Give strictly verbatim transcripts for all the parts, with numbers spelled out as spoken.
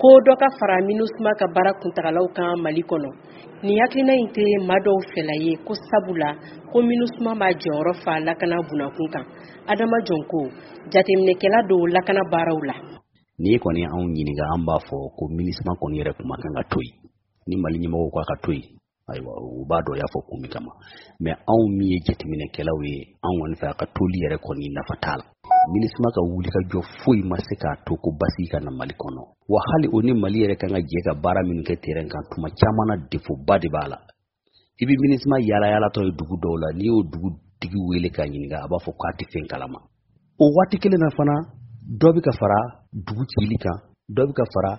Ko dɔ ka fara MINUSMA ka baara kuntagalaw kan Mali kɔnɔ. Nin hakilina in tɛ maa dɔw fɛla ye, ko sabula ko MINUSMA b'a jɔyɔrɔ fa lakana bunakun kan. Adama Jɔnko, jateminɛkɛla don lakana baaraw la. N'i kɔni anw ɲininka, an b'a fɔ ko MINUSMA kɔni yɛrɛ kuma kan ka to yen. Ni Mali ɲɛmɔgɔw k'a ka to yen, ayiwa, u b'a dɔn y'a fɔ kun min kama. Mais anw min ye jateminɛkɛlaw ye, anw kɔni fɛ, a ka toli yɛrɛ kɔni nafa t'a la. MINUSMA ka wulikajɔ foyi ma se k'a to ko basigi ka na Mali kɔnɔ. Wa hali o ni Mali yɛrɛ kan ka jɛ ka baara minnu kɛ terrain kan, tuma caman na défaut ba de b'a la. I bɛ MINUSMA yaala yaalatɔ ye dugu dɔw la, n'i y'o dugutigi wele k'a ɲininka, a b'a fɔ k'a tɛ fɛn kalama. O waati kelen na fana, dɔ bɛ ka fara dugu cili kan, dɔ bɛ ka fara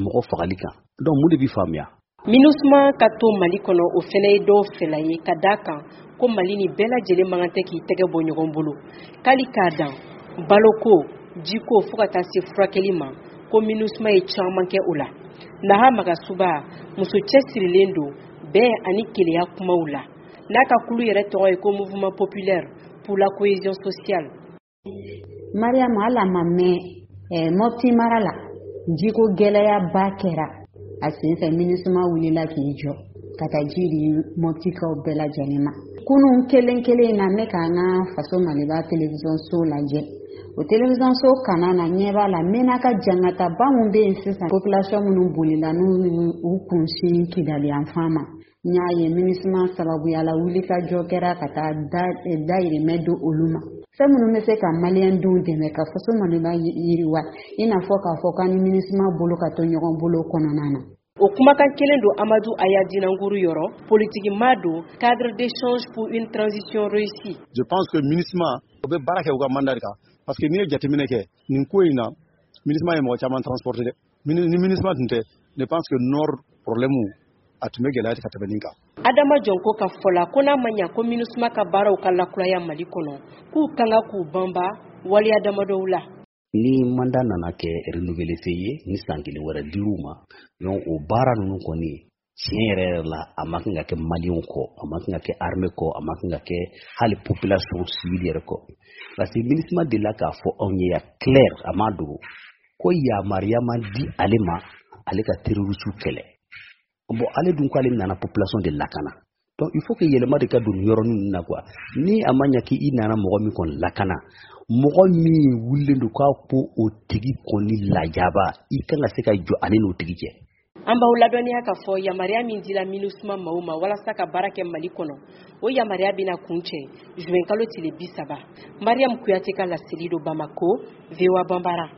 mɔgɔ fagali kan. Donc mun de bɛ faamuya? MINUSMA ka to Mali kɔnɔ, o fɛnɛ ye dɔw fɛla ye, ka d'a kan ko Mali ni bɛɛ lajɛlen man kan tɛ k'i tɛgɛ bɔ ɲɔgɔn bolo, k'ali k'a dan baloko, jiko, fo ka taa se furakɛli ma, ko MINUSMA ye caman kɛ o la. Naha Magasuba, muso cɛsirilen don bɛn ani keleya kumaw la, n'a ka kulu yɛrɛ tɔgɔ ye ko Mouvement populaire pour la cohésion sociale. Mariam, ala ma mɛn eh, Mɔpti mara la, jiko gɛlɛyaba kɛra a senfɛ. MINUSMA wulila k'i jɔ ka taa ji di Mɔptikaw bɛɛ lajɛlen ma. Kunun kelen kelen in na, ne k'an ka Faso Maliba télévision so lajɛ. O télévision so kana na, ɲɛ b'a la Menaka jangataba mun bɛ yen sisan, population minnu bolila n'u u kunsin Kidali yanfan ma, n y'a ye MINUSMA sababuya la, wulikajɔ kɛra ka taa dayirimɛ don olu ma. Fɛn minnu bɛ se ka maliyɛn denw dɛmɛ ka Faso Maliba yiriwa, i n'a fɔ k'a fɔ k'an ni MINUSMA bolo ka to ɲɔgɔn bolo kɔnɔna na. O kumakan kelen don Amadu Aya Dinankuru yɔrɔ, politiki maa don, cadre d'échange pour une transition réussie. Je pense que MINUSMA o bɛ baara kɛ u ka mandat de kan, parce que n'i ye jateminɛ kɛ nin ko in na, MINUSMA ye mɔgɔ caman transporter dɛ. Ni MINUSMA tun tɛ, je pense que nord problème a tun bɛ gɛlɛya ka tɛmɛ nin kan. Adama Jɔnko ka fɔ la, ko n'a ma ɲa ko MINUSMA ka baaraw ka lakuraya Mali kɔnɔ, k'u kan ka k'u banba waleya damadɔw la. Ni mandat nana kɛ renouvelé ye, ni san kelen wɛrɛ dir'u ma, donc o baara ninnu kɔni, tiɲɛ yɛrɛ yɛrɛ la, a ma kan ka kɛ maliyɛnw kɔ, a ma kan ka kɛ armée kɔ, a ma kan ka kɛ hali population civile yɛrɛ kɔ, parce que MINUSMA delila k'a fɔ anw ye ya clair, a ma dogo, ko yamaruya ma di ale ma ale ka terroriste kɛlɛ. Bon, ale dun ko ale nana population de lakana. Donc il faut que yɛlɛma de ka don nin yɔrɔnin ninnu na quoi. Ni a ma ɲɛ k'i nana mɔgɔ min kɔni lakana, mɔgɔ min wulilen don k'a ko o tigi kɔni lajaba, i kan ka se ka jɔ ale n'o tigi cɛ. An b'aw ladɔnniya k'a fɔ yamaruya min dila MINUSMA maaw ma walasa ka baara kɛ Mali kɔnɔ, o yamaruya bɛna kuncɛ juin kalo tile bi saba. Mariam Kuyate ka laseli don Bamako, V O A Banbara.